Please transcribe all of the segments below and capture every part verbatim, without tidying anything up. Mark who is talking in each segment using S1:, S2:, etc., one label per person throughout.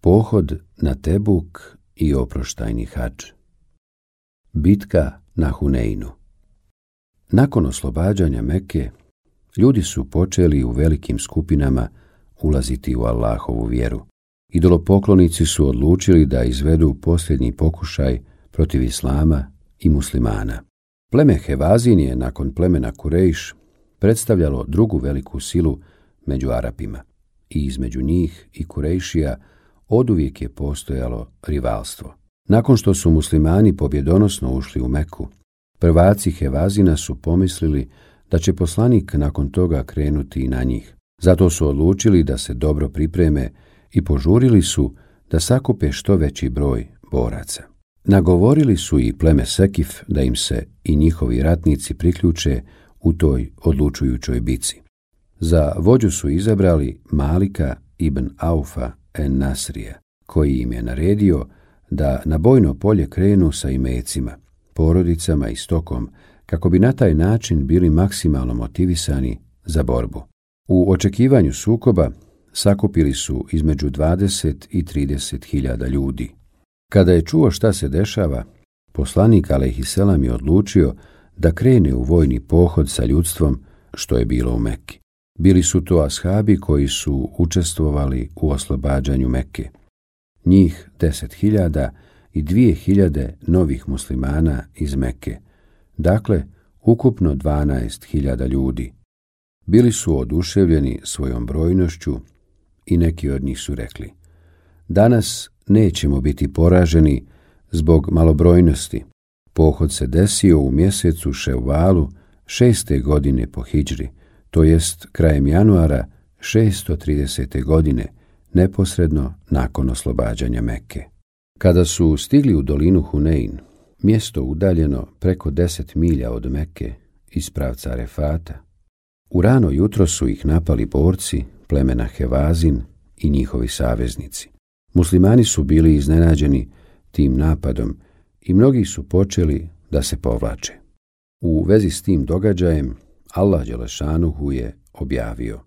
S1: Pohod na Tebuk i oproštajni hadž. Bitka na Huneinu. Nakon oslobađanja Mekke, ljudi su počeli u velikim skupinama ulaziti u Allahovu vjeru. Idolopoklonici su odlučili da izvedu posljednji pokušaj protiv islama i muslimana. Pleme Hevazin je nakon plemena Kurejš predstavljalo drugu veliku silu među Arapima i između njih i Kurejšija oduvijek je postojalo rivalstvo. Nakon što su muslimani pobjedonosno ušli u Meku, prvaci Hevazina su pomislili da će poslanik nakon toga krenuti i na njih. Zato su odlučili da se dobro pripreme i požurili su da sakupe što veći broj boraca. Nagovorili su i pleme Sekif da im se i njihovi ratnici priključe u toj odlučujućoj bici. Za vođu su izabrali Malika ibn Aufa en Nasrija, koji im je naredio da na bojno polje krenu sa imecima, porodicama i stokom, kako bi na taj način bili maksimalno motivisani za borbu. U očekivanju sukoba sakupili su između dvadeset i trideset hiljada ljudi. Kada je čuo šta se dešava, poslanik alejhiselam je odlučio da krene u vojni pohod sa ljudstvom što je bilo u Mekki. Bili su to ashabi koji su učestvovali u oslobađanju Mekke. Njih deset hiljada i dvije hiljade novih muslimana iz Mekke, dakle ukupno dvanaest hiljada ljudi. Bili su oduševljeni svojom brojnošću i neki od njih su rekli: danas nećemo biti poraženi zbog malobrojnosti. Pohod se desio u mjesecu Ševvalu šeste godine po hidžri, to jest krajem januara šesto tridesete godine, neposredno nakon oslobađanja Mekke. Kada su stigli u dolinu Hunein, mjesto udaljeno preko deset milja od Mekke iz pravca Arefata, u rano jutro su ih napali borci plemena Hevazin i njihovi saveznici. Muslimani su bili iznenađeni tim napadom i mnogi su počeli da se povlače. U vezi s tim događajem Allah dželešanuhu je objavio: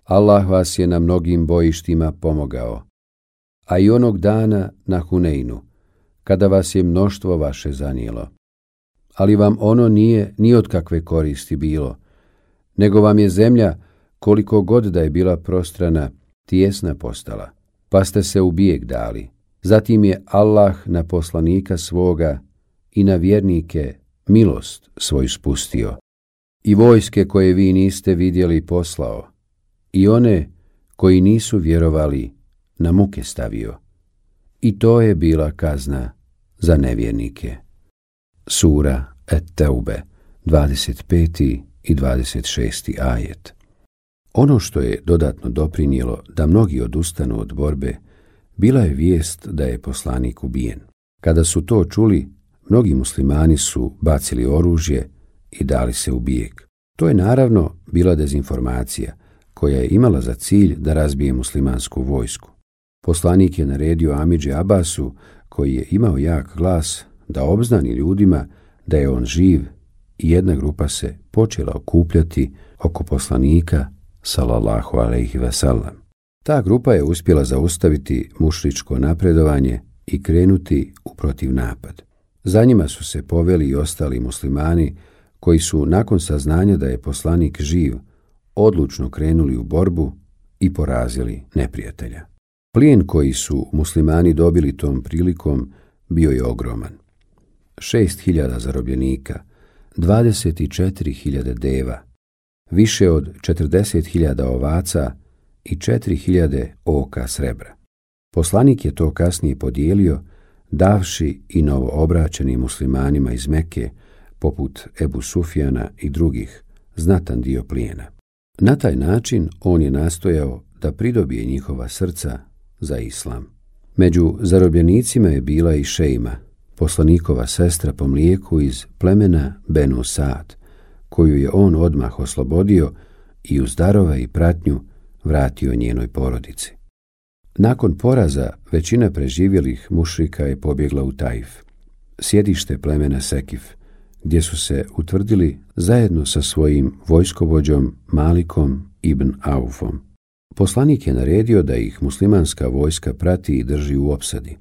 S1: Allah vas je na mnogim bojištima pomogao, a i onog dana na Huneinu, kada vas je mnoštvo vaše zanijelo. Ali vam ono nije ni od kakve koristi bilo, nego vam je zemlja, koliko god da je bila prostrana, tijesna postala, pa ste se u bijeg dali. Zatim je Allah na poslanika svoga i na vjernike milost svoju spustio, i vojske koje vi niste vidjeli poslao, i one koji nisu vjerovali na muke stavio. I to je bila kazna za nevjernike. Sura Et-Teube, dvadeset peti i dvadeset šesti ajet. Ono što je dodatno doprinijelo da mnogi odustanu od borbe, bila je vijest da je poslanik ubijen. Kada su to čuli, mnogi muslimani su bacili oružje i dali se u bijeg. To je naravno bila dezinformacija, koja je imala za cilj da razbije muslimansku vojsku. Poslanik je naredio Amidži Abasu, koji je imao jak glas, da obznani ljudima da je on živ, i jedna grupa se počela okupljati oko poslanika sallallahu alejhi ve sellem. Ta grupa je uspjela zaustaviti mušričko napredovanje i krenuti u protivnapad. Za njima su se poveli i ostali muslimani koji su nakon saznanja da je poslanik živ odlučno krenuli u borbu i porazili neprijatelja. Plijen koji su muslimani dobili tom prilikom bio je ogroman. Šest hiljada zarobljenika, dvadeset četiri hiljade deva, više od četrdeset hiljada ovaca i četiri hiljade oka srebra. Poslanik je to kasnije podijelio, davši i novoobraćenim muslimanima iz Mekke, poput Ebu Sufjana i drugih, znatan dio plijena. Na taj način on je nastojao da pridobije njihova srca za islam. Među zarobljenicima je bila i Šejma, poslanikova sestra po mlijeku iz plemena Benu Saad, koju je on odmah oslobodio i uz darove i pratnju vratio njenoj porodici. Nakon poraza većina preživjelih mušrika je pobjegla u Taif, sjedište plemena Sekif, gdje su se utvrdili zajedno sa svojim vojskovođom Malikom ibn Aufom. Poslanik je naredio da ih muslimanska vojska prati i drži u opsadi.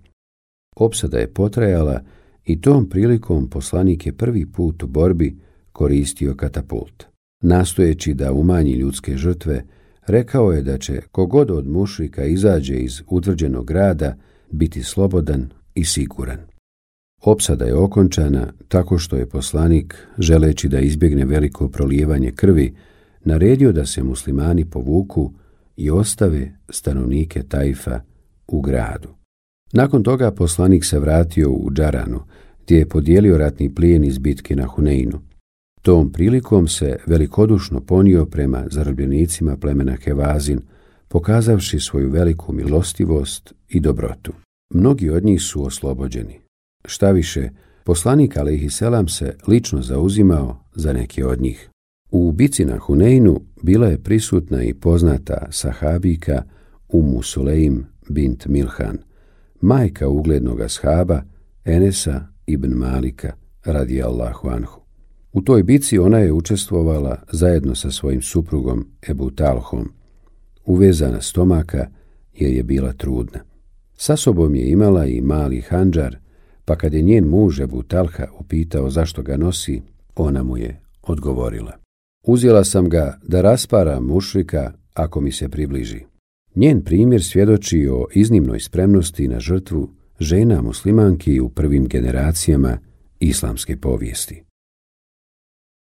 S1: Opsada je potrajala i tom prilikom poslanik je prvi put u borbi koristio katapult. Nastojeći da umanji ljudske žrtve, rekao je da će kogod od mušrika izađe iz utvrđenog grada biti slobodan i siguran. Opsada je okončana tako što je poslanik, želeći da izbjegne veliko prolijevanje krvi, naredio da se muslimani povuku i ostave stanovnike Tajfa u gradu. Nakon toga poslanik se vratio u Džaranu, gdje je podijelio ratni plijen iz bitke na Huneinu. Tom prilikom se velikodušno ponio prema zarobljenicima plemena Hevazin, pokazavši svoju veliku milostivost i dobrotu. Mnogi od njih su oslobođeni. Šta više, poslanik alejhiselam se lično zauzimao za neke od njih. U bici na Huneinu bila je prisutna i poznata sahabika Umu Sulejm bint Milhan, majka uglednog ashaba Enesa ibn Malika radijallahu anhu. U toj bici ona je učestvovala zajedno sa svojim suprugom Ebu Talhom, uvezana stomaka jer je bila trudna. Sa sobom je imala i mali handžar, pa kad je njen muž Ebu Talha upitao zašto ga nosi, ona mu je odgovorila: uzela sam ga da rasparam mušrika ako mi se približi. Njen primjer svjedoči o iznimnoj spremnosti na žrtvu žena muslimanki u prvim generacijama islamske povijesti.